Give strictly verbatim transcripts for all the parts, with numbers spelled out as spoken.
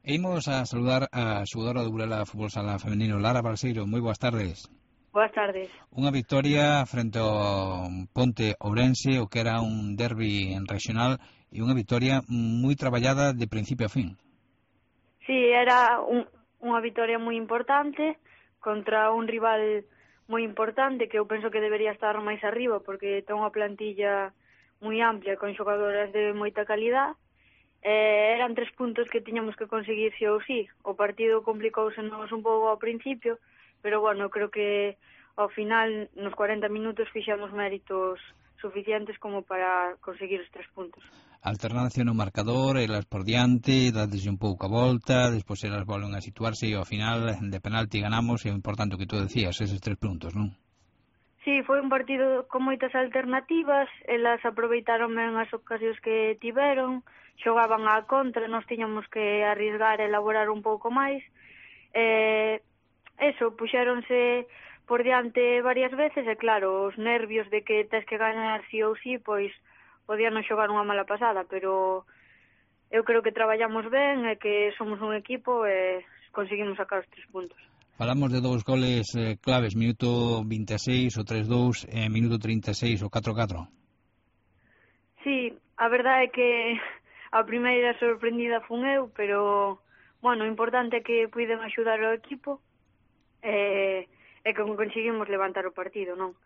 E imos a saludar a xogadora do Burela Fútbol Sala Femenino, Lara Balseiro. Moi boas tardes. Boas tardes. Unha victoria frente ao Ponte Ourense, o que era un derbi regional, e unha victoria moi traballada de principio a fin. Sí, era un, unha victoria moi importante contra un rival moi importante que eu penso que debería estar máis arriba porque ten unha plantilla moi amplia con xogadoras de moita calidad. Eh, eran tres puntos que tiñamos que conseguir sí ou sí. O partido complicouse nos un pouco ao principio, pero bueno, creo que ao final, nos cuarenta minutos, fixamos méritos suficientes como para conseguir os tres puntos. Alternancia no marcador, elas por diante, dades un pouco a volta, despois elas volven a situarse e ao final de penalti ganamos, e o importante que tú decías, eses tres puntos, non? Sí, foi un partido con moitas alternativas, elas aproveitaron ben as ocasións que tiveron, xogaban á contra, nós tiñamos que arriesgar e elaborar un pouco máis. Eh, eso, puxéronse por diante varias veces e claro, os nervios de que tes que ganar sí ou sí, pois podían non xogar unha mala pasada, pero eu creo que traballamos ben e que somos un equipo e conseguimos sacar os tres puntos. Falamos de dous goles eh, claves, minuto vinte e seis, o tres dous, e minuto trinta e seis, o catro catro. Sí, a verdade é que a primeira sorprendida fun eu, pero, bueno, o importante é que puiden axudar ao equipo e, e que conseguimos levantar o partido, non?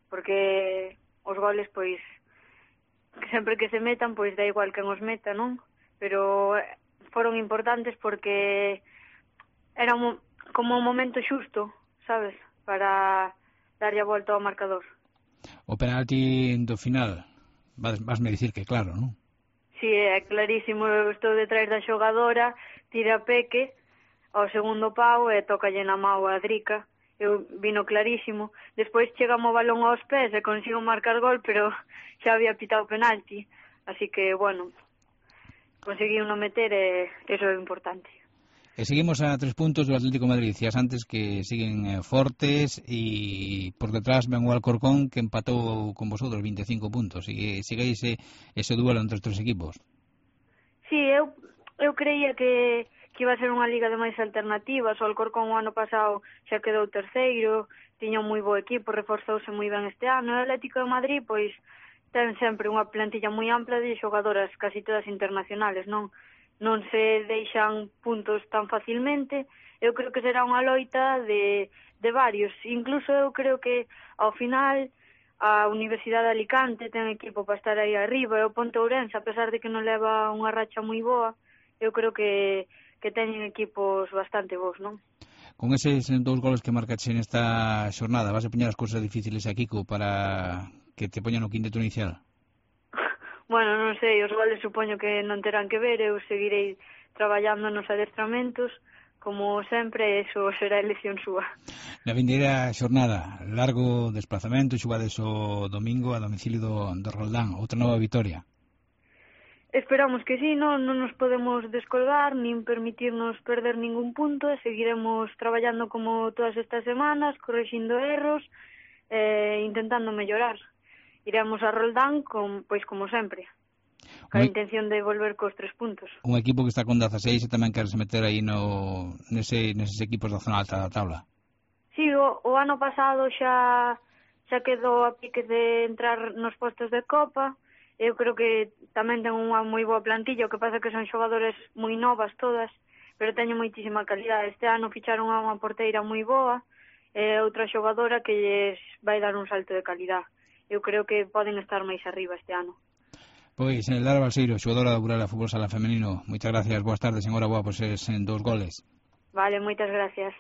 Porque os goles, pois, sempre que se metan, pois da igual quen os meta, non? Pero foron importantes porque era un como un momento xusto, sabes, para darlle a volta ao marcador. O penalti do final, vas, vasme dicir que claro, non? Si, sí, é clarísimo, eu estou detrás da xogadora, tira Peque ao segundo pau e tocalle na mau a Drica, eu vino clarísimo. Despois chegamos o balón aos pés e consigo marcar gol, pero xa había pitado penalti, así que, bueno, conseguí non meter e eso é importante. E seguimos a tres puntos do Atlético de Madrid. Dicías antes que siguen eh, fortes e por detrás ven o Alcorcón que empatou con vosotros vinte e cinco puntos e sigue ese, ese duelo entre os tres equipos. Sí, eu, eu creía que, que iba a ser unha liga de máis alternativas. O Alcorcón o ano pasado xa quedou terceiro, tiña un moi bo equipo, reforzouse moi ben este ano. O Atlético de Madrid, pois, ten sempre unha plantilla moi ampla de xogadoras casi todas internacionales, non? non se deixan puntos tan facilmente. Eu creo que será unha loita de, de varios. Incluso eu creo que ao final a Universidade de Alicante ten equipo para estar aí arriba, e o Ponte Ourense, a pesar de que non leva unha racha moi boa, eu creo que, que teñen equipos bastante bons, non? Con eses dous goles que marcaxe nesta xornada, vas a poñer as cousas difíciles a Kiko para que te poñan o quinteto inicial? Bueno, non sei, os goles supoño que non terán que ver, eu seguirei traballando nos adestramentos, como sempre, eso será elección súa. Na vindeira xornada, largo desplazamento, xogades o domingo a domicilio do, do Roldán, outra nova vitoria. Esperamos que sí, non, non nos podemos descolgar, nin permitirnos perder ningún punto, e seguiremos traballando como todas estas semanas, correxindo erros, e intentando mellorar. Iremos a Roldán, con, pois como sempre, con a intención de volver cos tres puntos. Un equipo que está con dezaseis e tamén queres meter aí no, nese, neses equipos da zona alta da tabla. Sí, o, o ano pasado xa xa quedou a pique de entrar nos postos de Copa. Eu creo que tamén ten unha moi boa plantilla, o que pasa que son xogadores moi novas todas, pero teñen moitísima calidad. Este ano ficharon a unha porteira moi boa e outra xogadora que lles vai dar un salto de calidad. Eu creo que poden estar máis arriba este ano. Pois, Lara Balseiro, xogadora do Burela Fútbol Sala Femenino, moitas gracias, boas tardes, enhoraboa por ser en dous goles. Vale, moitas gracias.